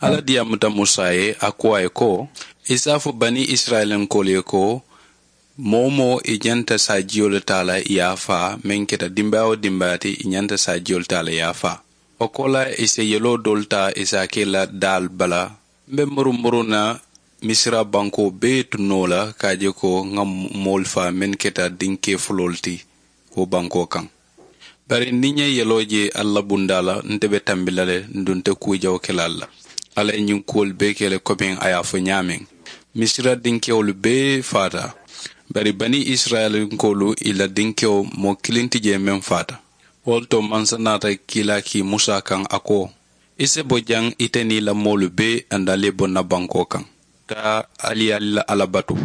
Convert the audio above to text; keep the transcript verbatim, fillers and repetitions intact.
Alla diyaamuta musa ye, a ko a ye ko, i si a fo banii isirayilankoolu ye ko, moo-wo-moo i ñanta saajiyo le taa la i ye a faa meŋ keta dimbaayaa-wo-dimbaayaa ti, i ñanta saajiyo le taa la i ye a faa. Wo koolaa i si yeloo doolu taa i si a ke i la daalu bala. M be murumuru na misira bankoo bee to noo la ka a je ko ŋa moolu faa mennu keta dinkee fuloolu ti wo bankoo kaŋ. Bari niŋ ǹ ye yeloo je alla bundaa la, nte be tambi la le, nduŋ nte kuu jawo ke la alla. Alla ye ñiŋ kuwolu bee ke le komiŋ a ye a fo ñaameŋ. Misira dinkewolu bee faata. Bari banii isirayilankoolu i la dinkewo moo kiliŋ ti jee meŋ faata. Wo le to mansa naata kiilaa kii musa kaŋ a ko, i si bo jaŋ ite niŋ i la moolu bee, aduŋ ali ye bo ǹ na bankoo kaŋ. Taa, ali ye ali la alla batu.